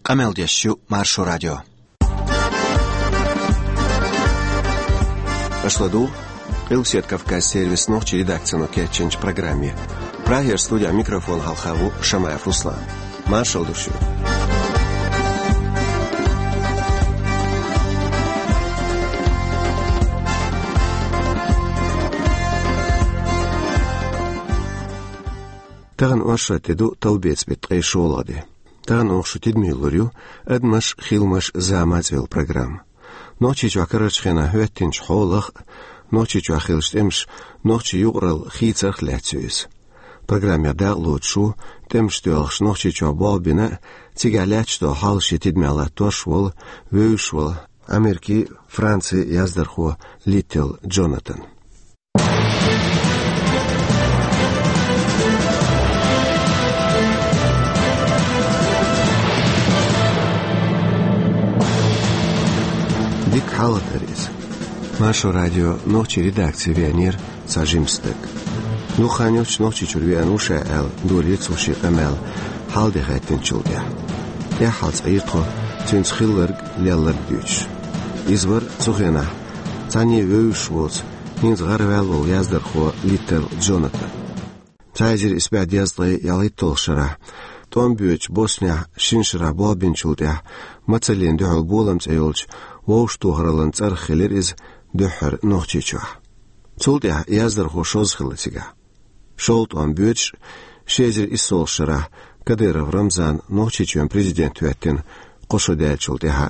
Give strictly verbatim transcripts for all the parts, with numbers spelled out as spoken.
Къамел деш ю Маршо радио. Аша ладугӀу Къилбаседа Кавказан сервисан нохчийн редакцино кечйинчу программе. Прагера студин микрофон хьалха ву Шамаев Руслан. Маршалла ду шуьга. Тахана оршот де ду, талбеца беттан ткъе шолгӀа де. Тахана оха шун тидаме лур ю «Адамаш, хиламаш, зама» цӀе йолу программа. Нохчийчохь карарчу хенахь хӀоьттинчу хьолах а, Нохчийчохь хиллачу тӀемаша нохчийн юкъаралла хийцарх а лаьцна ю иза. Программехь дакъалоцуш ву тӀемаш доьлхуш Нохчийчохь болх бина а, цигахь лаьтташ долу хьал шен тидамехь латтош а волу, вевзаш волу Америкин, Францин яздархо Литтелл Джонатан. Дика хьалха дара иза. Маршо радион нохчийн редакци веанера цхьа жима стаг. Дукха хан йоццуш Нохчийчуьра веана ву ша аьлла, дора цо шен къамел хьал де хаьттинчул тӀаьхьа. ТӀаьххьара цкъа йира тхо цуьнца хилларг, лелларг дуьйцуш. Иза вара цу хенахь цхьанне а вевзаш воцу, хӀинца гӀараваьлла волу яздархо Литтелл Джонатан. Цхьа эзар исс бӀе дезткъе ялхитталгӀачу шарахь, тӀом боьдучу Боснехь шина шарахь болх бинчул тӀаьхьа, Мацаллина дуьхьал болам цӀе йолчу вовшахтохараллин цӀарах хилира иза дуьххьара Нохчийчохь. Цул тӀаьхьа яздархо шозза хилла цигахь. ШолгӀа тӀом боьдуш, ши эзар иссолгӀачу шарахь Кадыров Рамзан Нохчийчоьнан президент хӀоьттина кхо шо даьллачул тӀаьхьа.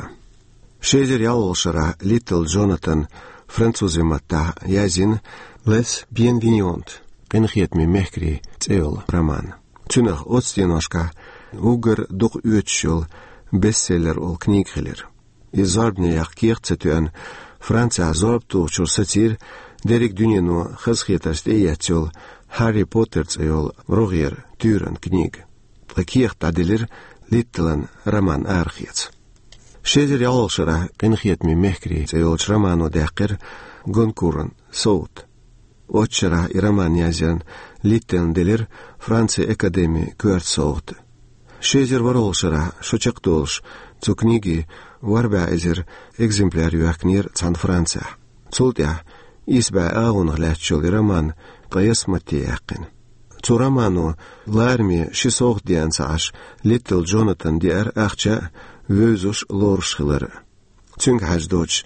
Ши эзар ялхолгӀачу шарахь Литтелл Джонатан французийн маттахь язйина «Les Bienveillants», «Къинхетаме мехкарий» цӀе йолу роман. Цуьнах оццу деношкахь уггар дукха оьцуш йолу бестселлер олу книга хилира. Иза зорбане яккха кехат ца тоьъна, Францехь зорба тухучуьра сацийра дерриг дуьнено хазахетарца тӀеэцна йолу «Хьарри Поттер» цӀе йолу рогӀера туьйранна книга. Ткъа кехат дӀаделира Литтеллан роман арахеца. Ши эзар ялхолгӀачу шарахь «Къинхетаме мехкарий» цӀе йолчу романо даьккхира Гонкуран совгӀат. Оццу шарахь и роман язъярна Литтеллана делира Францин академин коьрта совгӀат. Ши эзар ворхӀолгӀачу шарахь, шо чекхдолуш, цу книгин ворхӀ бӀе эзар экземпляр йоьхкинера цхьана Францехь. Цул тӀаьхьа исс бӀе агӀонах лаьтташ йолу и роман ткъе ялх матте яьккхина. Цу романо лараме ши совгӀат деана ца Ӏаш, Литтелл Джонатан деара ахча а, вевзаш а, лоруш а хилар а. Цуьнга хьаьжна доцуш,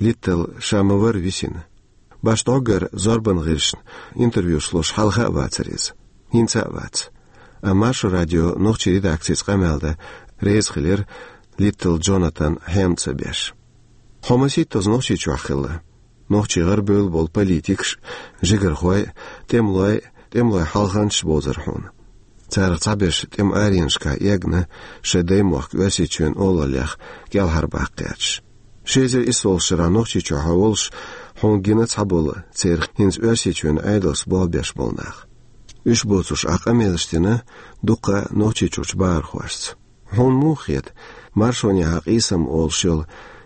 Литтелл ша ма-варра висина. Башха дӀоггара зорбан гӀирсашна интервьюш луш хьалха а вацара иза. ХӀинца а вац. Амма Маршо радион нохчийн редакцица къамел дан реза хилира Литтелл Джонатан хьем ца беш. Хьо масийттаза Нохчийчохь хилла. Нохчийн гӀарабевлла болу политикаш а, жигархой а, тӀемалой а, тӀемалойн хьалханчаш а бовзара хьуна. Царах цхьаберш тӀеман аренашкахь эгна, шайн даймохк Оьрсийчоьнан олаллех кӀелхьарбаккха гӀерташ. Ши эзар иссолгӀачу шарахь Нохчийчохь хьо волуш, хьуна гина цхьаболу церан хӀинца Оьрсийчоьнан Ӏедалца болх беш болу нах. Уьш боцурш ахь къамелаш дина дуккха а Нохчийчуьрчу бахархошца. Хьуна муха хета, маршонехьа къийсам олуш йолу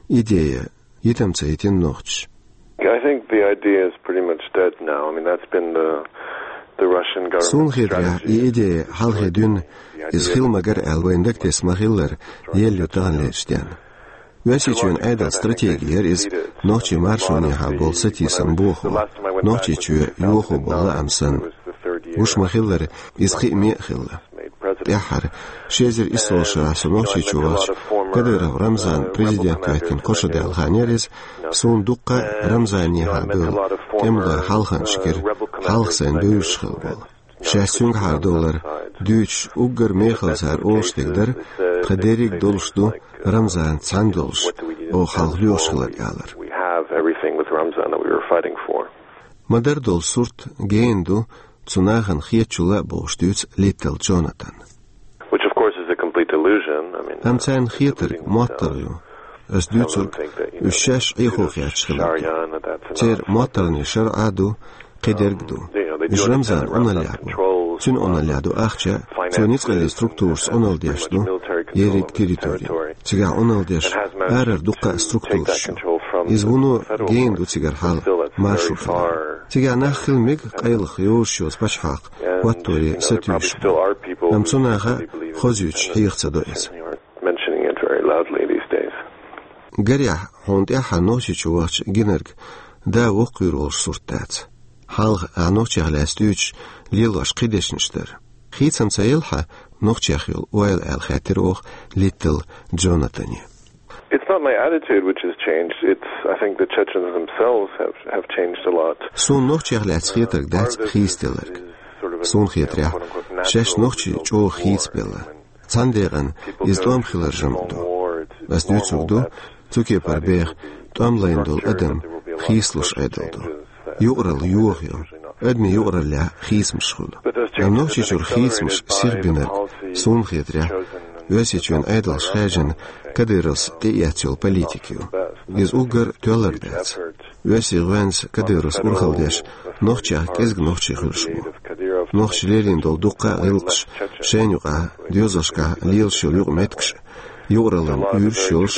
идея йитам ца йитина нохчаша? I think the idea is pretty much dead now. I mean, that's been the, the Russian government's strategy. Суна хетарехь, и идея хьалхе дуьйна, иза хила магара аьлла вайна дагатесна ма-хиллара, елла ю таханлерчу денна. Оьрсийчоьнан Ӏедалан стратеги яра иза нохчийн маршонехьа болу сатийсам бохо, Нохчийчоь йохо болу лаам санна. Гуш ма-хиллара, иза кхиаме а хилла. ТӀаьххьара, ши эзар иссолгӀачу шарахь со Нохчийчу вахча, Кадыров Рамзан президент хӀоьттина кхо шо даьлла хан яра иза, суна дуккха а Рамзанехьа бевлла тӀемалойн хьалханчаш гира, хьалха сайна бевзаш хилла болу. Шаьш цуьнгахьара долар дуьйцуш, уггар мехала цара олуш дерг дара, тхан дерриг долуш ду Рамзанца цхьаьна долуш, оха хьалха лоьхуш хилар, алар. We have everything with Ramzan that we were fighting for. Ма-дарра долу сурт гена ду цу нахана хетачул а, бохуш дуьйцу Литтелл Джонатана. Which, of course, is a complete illusion. I mean, амма царна хетарг моттаргӀа ю. Ас дуьйцург, уьш шаьш Ӏехо хеташ хиларг ду. Церан моттаргӀанийн шарӀа а ду, кхидерг а ду. Уьш Рамзан Ӏуналлехь бу. Цуьнан Ӏуналлехь ду ахча, цо ницкъаллин структурашца Ӏуналла деш ду ерриг территори. Цигахь Ӏуналла деш арара дуккха а структураш ю. Иза вуно гена ду цигара хьал маршо хилар. Цигахь нах хила мега, къайлаха йозуш йоцу пачхьалкх хӀотторе сатуьйсуш бу. Амма цу наха а хозуьйтуш хьеха ца до иза. Mentioning it Гарехь, хьуна тӀаьххьара Нохчийчу вахча гинарг да воккхавийр волуш сурт дац. Хьалха ахь нохчех лаьцна дуьйцуш лелош кхин дешнаш дара. Хийцам ца елла хьан нохчех йолу ойла аьлла хаьттира оха Литтл Джонатане. It's not my attitude which has changed. It's, I think, the Chechens themselves have, have changed a lot. Суна нохчех лаьцна хетарг дац хийцаделларг. Суна хетарехь, шаьш нохчий чӀогӀа хийцабелла. Цхьана декъана иза тӀом хиларан жамӀ ду. Ас дуьйцург ду, цу кепара беха тӀом лайна долу адам хийцалуш Ӏедал ду. Юкъаралла йоха ю. Адамийн юкъараллехь хийцамаш хуьлу. Амма Нохчийчуьра хийцамаш сихбинарг, суна хетарехь, Оьрсийчоьнан Ӏедалша хаьржина Кадыровс тӀеэцна йолу политика ю. Иза уггар тоьлларг дац. Оьрсийн гӀоьнца Кадыровс урхалла деш, нохчех кӀезиг нохчий хуьлуш бу. Нохчаша лелийна долу дуккха а гӀиллакхаш, шайна юкъахь доьзалшкахь лелаш йолу юкъаметтигаш, юкъараллин уьйраш йолуш,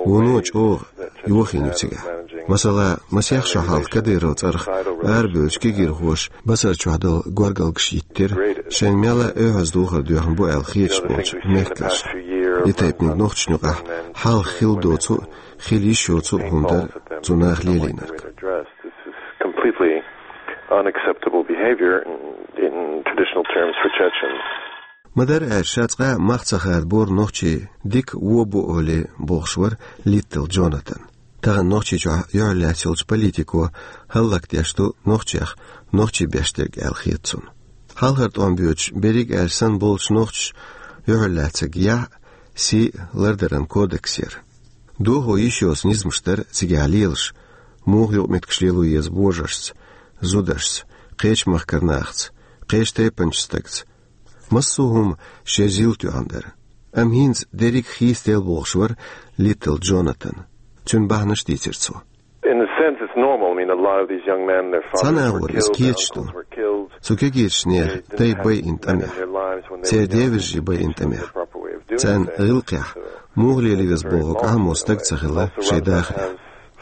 вуно чӀогӀа йохийна ю цигахь. Масала, масех шо хьалха Кадыров цӀарах арабевллачу кегийрхоша Басар чохь долу горгалгаш йиттира, шайна мелла а оьхьаз духар доьхна бу аьлла хеташ болчу мехкарша. И тайпаниг нохчашна юкъахь хьалха хилла доцу а, хила йиш йоцу а хӀума дара цу наха лелийнарг. This is completely unacceptable behavior in, in traditional terms for Chechens. Ма-дарра аьлча, ша цкъа а мах ца хадабора нохчий дика вон бу олий, бохуш вара Литтл Джонатан. Тахана Нохчийчохь юьхьарлаьцна йолчу политико хӀаллакдеш ду нохчех нохчий беш дерг аьлла хета цунна. Хьалхара тӀом боьдуш, берриг аьлча санна болчу нохчаша юьхьарлаьцнарг яхь а, сий а лардаран кодекс яра. Дохо йиш йоцу низамаш дара цигахь лелаш, муха юкъаметтигаш лело еза божаршца, зударшца, кхечу махкара нахаца, кхечу тайпанчу стагца. Массо а хӀума шен зил тоьхна дара. Амма хӀинца дерриг хийцаделла, бохуш вара Литтл Джонатан. Цуьнан бахьанаш дийцира цо. In a sense, it's normal. I mean, a lot of these young men, their fathers were killed, their uncles were killed. Цу кегийчу нехан дай байина тӀамехь, церан девежарий байина тӀамехь. Царна гӀиллакхехь, муха лело веза бохург Ӏамо стаг ца хилла шайн дахарехь.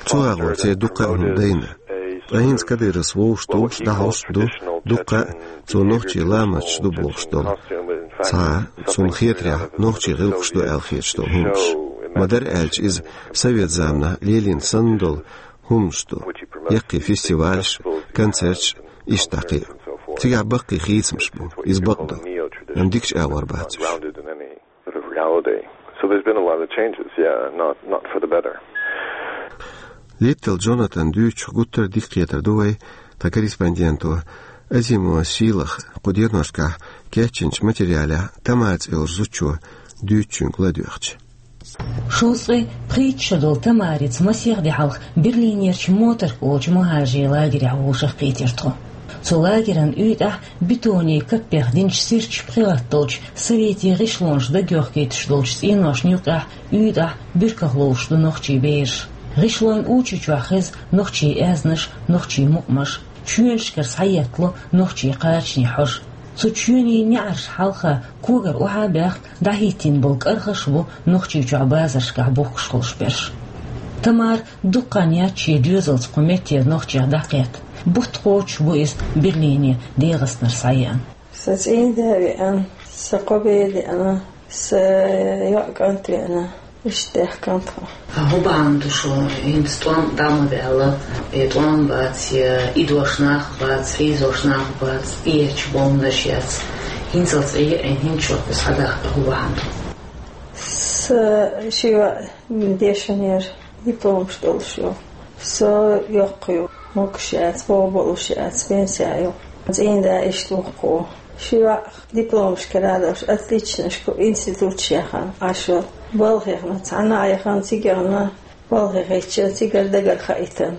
Цу агӀор церан дуккха а хӀума дайна. Ткъа хӀинца Кадыровс вовшах тухуш, дӀахьош а ду, дуккха а цо нохчий ламасташ ду бохуш долу. Цхьа, цунна хетарехь, нохчийн гӀиллакхаш ду аьлла хеташ долу хӀуманаш. Ма-дарра аьлча, иза совет заманахь лелийна санна долу хӀуманаш ду. Яккхий фестивалаш, концерташ, иштта дӀа кхин а. Цигахь баккхий хийцамаш бу, иза бакъ ду. Амма дикачу агӀор бац уьш. Sort of reality. So there's been a lot of changes, yeah, not, not for the better. Литтл Джонатан дуьйцучух гуттар а дика кхетар ду вай тхан корреспонденто Азимова Сийлаха кху деношкахь кечйинчу материалехь Тамара цӀе йолчу зудчо дуьйцучуьнга ладоьгӀча. Шовзткъе пхийтта шо долу Тамарица масех де хьалха Берлинерчу Моторка олучу мухӀажарийн лагерехь вовшахкхийтира тхо. Цу лагеран уьйтӀахь бетонийн каппех динчу сирчу пхи латта долчу советийн гӀишлонаш дагайохкуьйтуш долчу цӀеношна юккъехь уьйтӀахь буьрках ловзуш ду нохчийн бераш. ГӀишлонан учу чохь хеза нохчийн аьзнаш, нохчийн мукъамаш, чоьнашкара схьаеттало нохчийн кхачанийн хьожа. Цу чоьнийн неӀарш хьалха когара охьа а баьхна, дӀахӀиттийна болу кӀархаш а бу Нохчийчохь базаршкахь бухкуш хуьлуш берш. Тамара дукха хан яц шен доьзалца кху меттера нохчех дӀакхетта. Бутт кхочуш бу иза Берлине ДегӀастанара схьаеана. Сан цӀийнда а веана, сан кхо бер а деана, сан йоӀ кӀант а веана, иштта даьхкина тхо. А хӀун бахьана ду шуна, хӀинца тӀом дӀа ма ваьлла, я тӀом бац, я идош нах а бац, хьийзош нах а бац, эча бомнаш яц. ХӀинцалц Ӏе а Ӏийна, хӀинца шух схьадахка хӀун бахьана ду? Сан ши йоӀ дешнера, дипломаш долуш ю. Со йоккха ю, могуш яц, боху болуш яц, пенсехь ю. ЦӀийнда иштта ву-кх. Ши йоӀ дипломаш кара а долуш, отличнашка институташ яхана Ӏаш. Балхахь цхьанна а яхана, цигахь балхахь хетча, цигара дагара хаийтина.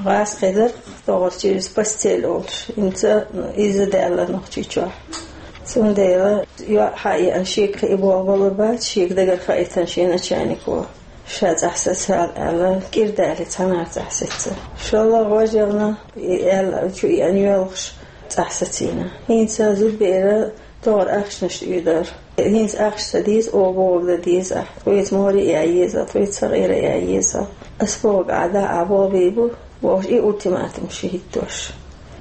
ГӀазкхи дара-кх, тохара через постель олуш, хӀинца иза даьлла Нохчийчохь. Цундела йоӀ хьаеана, шега кхин болх балур бац, шега дагара хаийтина шен начальнико. Ша цӀахь сацал аьлла, кӀира далий цхьаннахьа цӀахь сецна. ШоллагӀа вожарна и аьлла, чу еана йоьлхуш цӀахь сацийна. ХӀинца зудбера тохара ахчанаш оьдура. ХӀинца ахча ца деза, оха бохург дан деза ахь. Тхоьца море а ян еза, тхоьца сакъера а ян еза. Ас бохург ахь дахь, ахь болх бийр бу, бохуш, и ультиматумаш хӀиттош.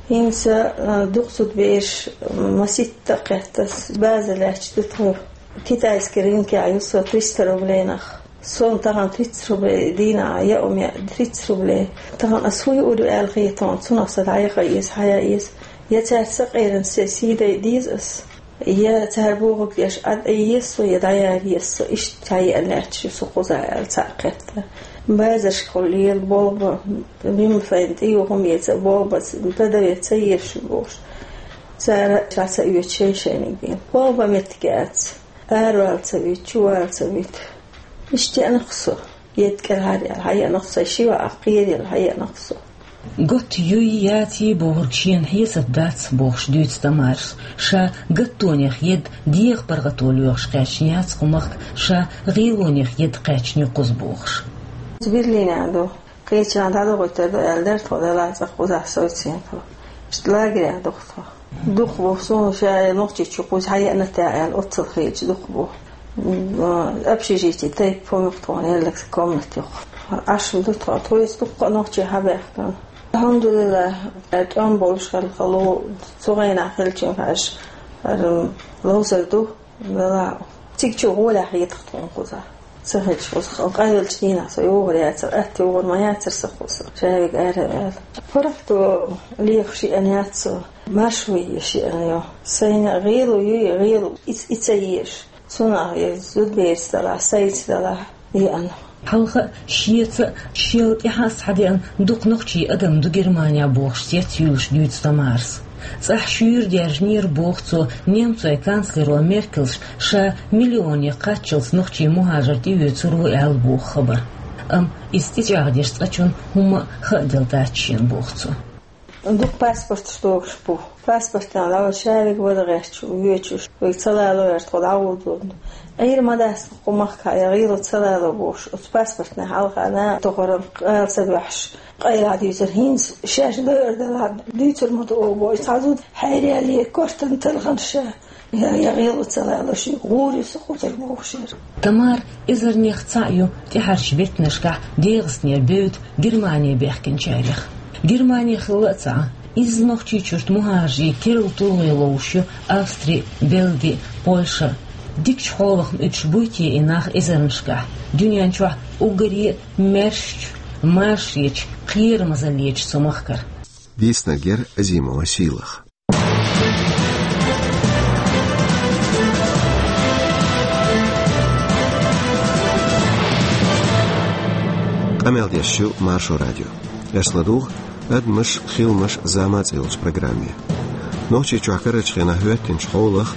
ХӀинца, а, дукха зудбераш, м, маситта а кхетта, база лаьтташ ду тхо. Китайский рынкехь ю со триста рублей нах. Сона тахан тридцать рублей дийнахьа яа ма яа, тридцать рублей. Тахан ас хӀу юур ю аьлла хетон, цунах сан дӀаяха еза, хьаяа еза. Я цаьрца къеран се сий дай деза ас. Я цара бохург деш Ӏад еза со, я дӀаяра еза со, иштта хьаяа лаьтташ ю со кхузахь аьлла цхьаъ кхетта. Базаршкахула лела болба, мимфайн тӀе юхум еца болба, тадаве ца езаш бохуш. Цара ша ца оьцу шайн-шайниг бен. Болба меттиг яц. Аравала ца вуьту, чувала ца вуьту. Иштта яанах со. Едда кӀелхьара яьлла хьаяанах со, ши ваӀа кхерала хьаяанах со. Готта юй, яций бохург шена хьесап дац, бохуш дуьйцу Тамарас. Ша гаттонех едда дегӀан паргӀато лоьхуш кхаьчна яц кху махка, ша гӀелонех едда кхаьчна ю кхуза бохуш. Берлинехь ду. Кхечанхьа дӀадохуьйтур ду аьлла дара тхо, делахь цкъа кхузахь совцийна тхо. Иштта лагерехь ду-кх тхо. Дукха бу, суна ша Нохчийчу кхуза хьаеана тӀе аьлла, оццул хеташ дукха бу. М, общежитие тайпа хӀума ю-кх тхуна, еллакс комната ю-кх. Ӏаш ду тхо, тхоьца дуккха а нохчий хьабаьхкина. Алхьамдулиллахь, тӀом болуш хилла хало, цу гӀайнахь хилча хьаьжча, хӀара ловзар ду. Вела, цига чу гӀолехь хетах тхуна кхузахь. Ца хилча кхуза, къайлачу дийнахь со йогӀур яцара, атта йогӀур ма яцара сан кхуза, шаверг ара аьлла. ПаргӀато лехаш еана яц со, маршо еш еана ю. Сайна гӀело юй, гӀело и, и ца еш. Цунах я зудаберца далахь, сайца далахь. Еана. Хьалха а, шеца а, шел тӀаьхьа а схьадеана дукха нохчий адам ду Германехь бохуш цец юьйлуш дуьйцу Тамарас. ЦӀахь шуьйра даьржинера боху цо немцойн канцлеро Меркельс ша миллионе кхаччалц нохчий мухӀажар тӀеоьцур ву аьлла боху хабар. Амма иза тӀечӀагӀдеш цкъачунна хӀумма а хааделла дац шена боху цо. Дукха паспорташ догуш бу. Паспортан дӀавала шаверг вара гӀерташ, воьдуш, вайга ца лало аьлла тхо дӀагӀо додуш. Ӏийр ма дац кху махкахь, я гӀело ца лало бохуш. Оцу паспортна хьалха нах тохаран къала ца боьхьаш, къайлаха дуьйцура, хӀинца шаьш дойур далахь дуьйцур ма ду оха бохуш. Цхьа зуда хьайралле кортан талхана ша. Я, я гӀело ца лало шуьга, гӀур ю со кхузара бохуш яра. Тамара эзарнех цхьаъ ю тӀаьхьарчу беттанашкахь ДегӀастанера бевдда Германе баьхкинчарех. Германе хилла а ца Ӏа, изза Нохчийчуьрчу мухӀажарийн керла тулгӀе ловш ю Австри, Бельги, Польша. Дикачу хьолах ма уьдуш буй те и нах эзарнашкахь, дуьнен чохь уггаре а маьршачу, маршечу, кхерамазаллечу цу махкара. Дийцинарг яра Азимова Сийлаха. Къамел деш ю Маршо радио. Аша ладугӀу «Адамаш, хиламаш, зама» цӀе йолчу программе. Нохчийчохь карарчу хенахь хӀоьттинчу хьолах,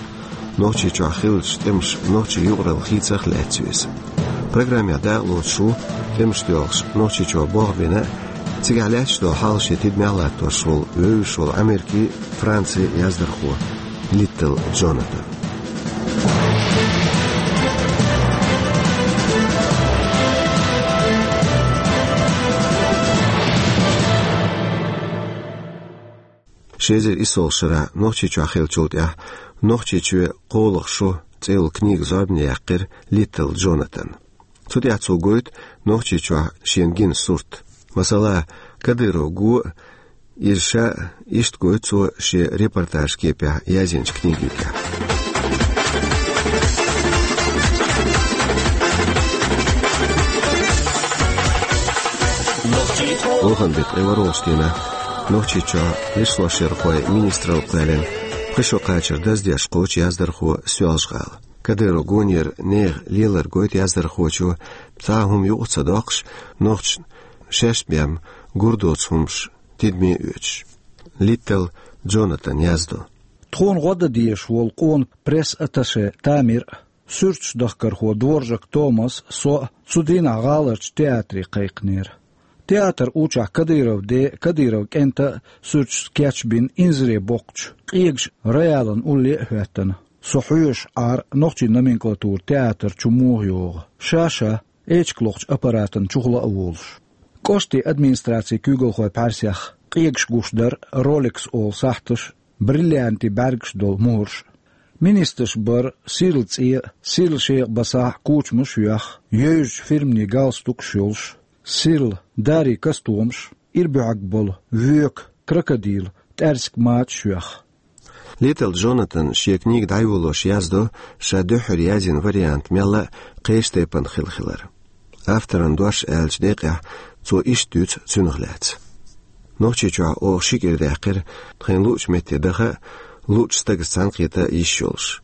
Нохчийчохь хиллачу тӀемаша нохчийн юкъаралла хийцах лаьцна веза. Программехь дакъалоцуш ву тӀемаш доьлхуш Нохчийчохь болх бина а, цигахь лаьтташ долу хьал шен тидамехь латтош волу вевзаш волу Америкин, Францин яздархо Литтл Джонатан. Ши эзар иссалгӀачу шарахь Нохчийчохь хиллачул тӀаьхьа «Нохчийчоь кхоалгӀа шо» цӀе йолу книга зорбане яьккхира Литтл Джонатанна. Цу тӀехь цо гойту Нохчийчохь шена гина сурт. Масала, Кадыров го а, иза ша а, иштта гойту цо шен репортажан кепехь язйинчу книгехь. Охан беттан ткъе ворхӀалгӀачу дийнахь Нохчийчохь лишлошъярхойн министралла кхоьллина пхи шо кхачар даздеш кхочу яздархо Соьлжа-ГӀала. Кадыров гонера нехан лелар гойту яздархочо, цхьа а хӀума юкъа ца доккхуш, нохчашна шаьш бен гур доцу хӀумаш тидаме оьцуш. Литтл Джонатан яздо. Тхуна гӀо дан дезаш волу къона пресс-атташе Тамир а, суьрташ дахкархо Дворжак Томас а, со а цу дийнахь гӀаларчу театре кхайкхинера. Театр учахь Кадыровн ден а, Кадыровн кӀентан а суьрташ кечбина инзаре боккхучу къегаш Раялан улле а хӀоьттина. Со хьоьжуш Ӏара нохчийн номенклатура театр чу муха йогӀу. Ша-ша, эчиг лохучу аппаратан чухула а волуш. КӀоштан администрацин куьйгалхойн пхьаьрсех къегаш гуш дара Rolex олу сахьташ, бриллиантийн бӀаьргаш долу мухӀарш. Министраш бара сирла цӀе а, сирла шекъа басахь а кучамаш а йоьхна, евзачу фирманийн галстукаш а йолуш, сирла, дарий костюмаш, ира буьхьиг болу воька, крокодил, тӀаьрсиг мачаш а йоьхна. Литтл Джонатан шен книга дӀайолош яздо, ша дуьххьара язйина вариант мелла а кхечу тайпана хилла хилар. Авторан дош аьллачу декъехь цо иштта дуьйцу цуьнах лаьцна: «Нохчийчохь оха ши кӀира даьккхира тхайна луъучу метте даха а, луъучу стагца цхьаьнакхета а йиш йолуш.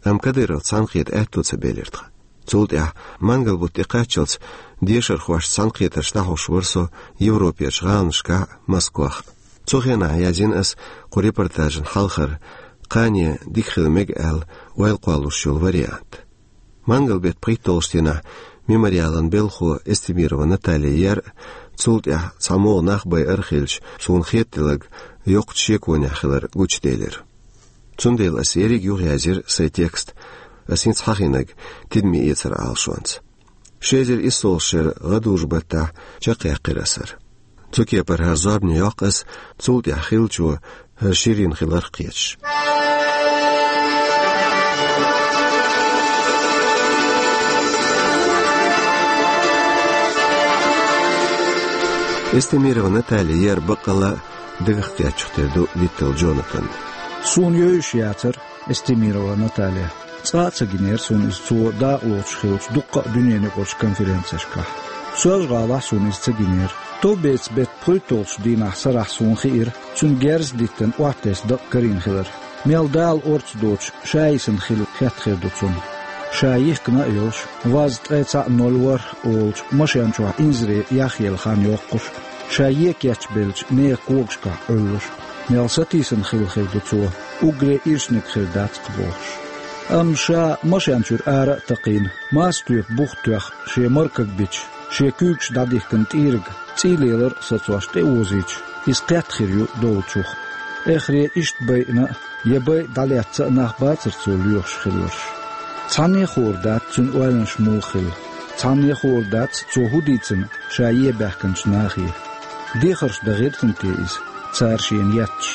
Амма Кадыровца цхьаьнакхета аьтто ца белира тхан. Цул тӀаьхьа, мангал-бутт тӀекхаччалц, дешархошца цхьаьнакхетарш дӀахьош вара со Европерчу гӀаланашкахь а, Москвахь а. Цу хенахь язйина аса кху репортажан хьалхара, кхане дика хила мега аьлла, ойла кхоллалуш йолу вариант». Мангал-беттан пхийтталгӀачу дийнахь «Мемориалан» белхахо Эстемирова Наталья яра, цул тӀаьхьа цхьа могӀа нах байар хилча, суна хетаделларг йоккхачу шеконехь хилар гучуделира. Цундела аса ерриг а юхаяьзира сайн текст, аса хӀинца хьахийнарг тидаме эцар Ӏалашонца. Ши эзар иссолгӀачу шеран гӀадужу-баттахь чекхъяьккхира аса хӀара. Цу кепара хӀара зорбане йоккху аса, цул тӀаьхьа хиллачо хӀара ширйина хиларх кхеташ. Эстемирова Наталья яра баккъалла а дагах кхеттачух тера ду Литтл Джонатан. Суна йовзуш яцара Эстемирова Наталья. Цкъа а ца гинера суна иза цо дакъалоцуш хиллачу дуккха а дуьненаюкъарчу конференцешкахь. Соьлжа-ГӀалахь суна иза ца гинера. Товбецан беттан пхийтталгӀачу дийнахь сарахь суна хиира, цуьнан герз а диттина, охьатесна дакъа карийна хилар. Мел Дала орца доцуш, ша йисина хила хетта хир ду цунна. Ша йихкина а йолуш, ваз ткъе цхьаъ ноль ворхӀ олучу машен чохь инзаре яхъелла хан йоккхуш, ша еккъаьчча беллачу нехан когашкахь Ӏуьллуш. Мел сатийсина хила хир ду цо, уггаре ирчаниг хир дац-кх бохуш. Амма ша машен чуьра ара а такхийна, маса тоьпан бух тоьхна, шен маркаг бича, шен куьйгаш дӀадихкина тӀийриг, цӀий лелар а сацош тӀеозийча, иза кхетта хир ю долчух. Эххаре иштта байина а, я байа дӀалетта а нах бацара цо лоьхуш хилларш. Цхьанне а хуур дац цуьнан ойланаш муха хилла. Цхьанне а хуур дац цо хӀун дийцина ша ен баьхкинчу нахе. Дехарш дан гӀиртина те иза, цара шена етташ?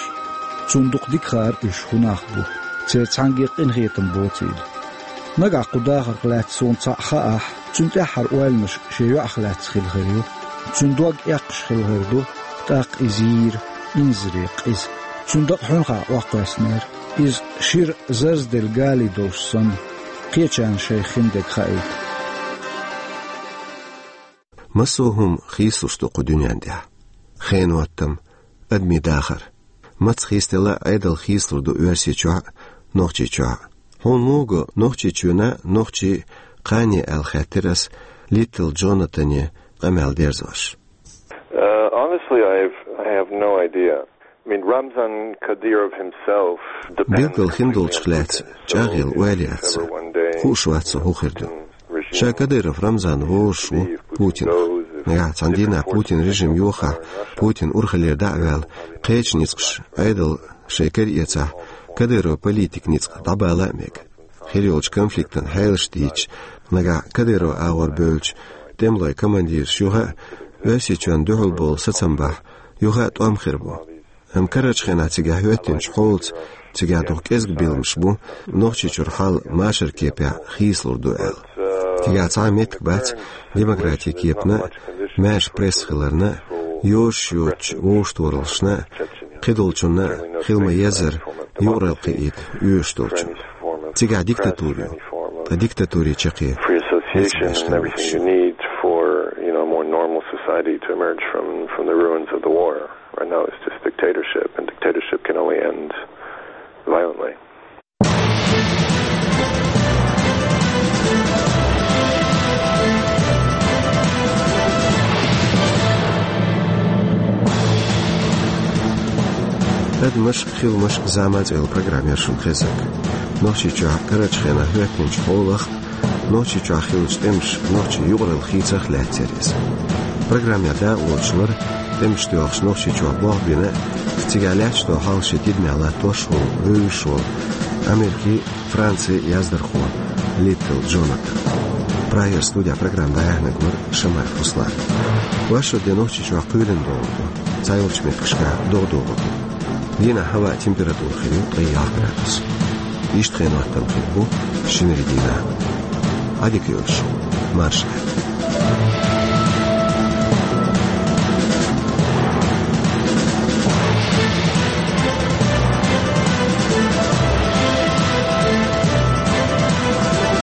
Цунна дукха дика хаьара уьш хӀун нах бу, церан цхьаьнгге къинхетам боцийла. Нагахь кху дахарх лаьцна суна цхьаъ хаахь, цуьнан тӀаьххьара ойланаш шен йоӀах лаьцна хила хир ю. Цуьнан дог эккхаш хила хир ду, тӀаккха иза йийра, инзаре къиза. Цуьнан дакъа хьуьнхахь охьакхоьссинера. Иза шира зарзделла гали долуш санна, кхечарна шайх хин дерг хаийта. Массо а хӀума хийцалуш ду кху дуьнен тӀехь. Хенан хӀоттам, адамийн дахар. Маца хийцаделла а Ӏедал хийцалур ду Оьрсийчохь а, Нохчийчохь а. Хьуна муха го Нохчийчоьнан а, нохчийн а кхане аьлла хаьттира ас Литтл Джонатане къамел дерзош. Uh, honestly, I've, I have no idea. I mean, Ramzan Kadyrov himself depends completely on Putin. Билггал хиндолчух лаьцна чӀагӀъелла ойла яц сан. Хууш вац сан хӀун хир ду. Ша Кадыров Рамзан вовзуш ву Путинах. Нагахь цхьана дийнахь Путин режим йохахь, Путин урхаллера дӀа а ваьлла, кхечу ницкъаша Ӏедал шайн кара эцахь, Кадыров политик ницкъ дӀабала а мега. Хир йолчу конфликтан хьелаш дийцича, нагахь Кадыров агӀор бевллачу тӀемалойн командираш юха а, Оьрсийчоьнна дуьхьал болу сацам бахь, юха а тӀом хир бу. Амма карарчу хенахь цигахь хӀоьттинчу хьолаца цигахь дукха кӀезиг билламаш бу, Нохчийчуьра хьал машаран кепехь хийцалур ду аьлла. Цигахь цхьа а меттиг бац демократин кепана а, маьрша пресса хиларна а, йозуш йоцучу вовшахтохараллашна а, кхидолчунна а хила ма-еззара юкъаралла кхиийта оьшуш долчунна. Цигахь диктатура ю, ткъа диктатурин чаккхе Free association and everything you need for, you know, a more normal society to emerge from, from the ruins of the war. Right now, it's just dictatorship, and dictatorship can only end violently. «Адамаш, хиламаш, зама» цӀе йолу программа яра шуна хезнарг. Нохчийчохь карарчу хенахь хӀоьттинчу хьолах, Нохчийчохь хиллачу тӀемаша нохчийн юкъаралла хийцарх лаьцна яра иза. Программехь дакъалоцуш вара тӀемаш доьлхуш Нохчийчохь болх бина а, цигахь лаьтташ долу хьал шен тидамехь латтош а волу, вевзаш а волу Америкин, Францин яздархо Литтл Джонатан. Прагера студехь программа дӀаяьхьнарг вара Шамаев Руслан. Вайшиннан де Нохчийчохь кхоьлина догӀу ду, цхьайолчу меттигашкахь догӀа догӀур ду. Дийнахь хӀаваан температура хир ю ткъе ялх градус. Иштта хенан хӀоттам хир бу шинарин дийнахь. Ӏадика йойла шун, марша Ӏа.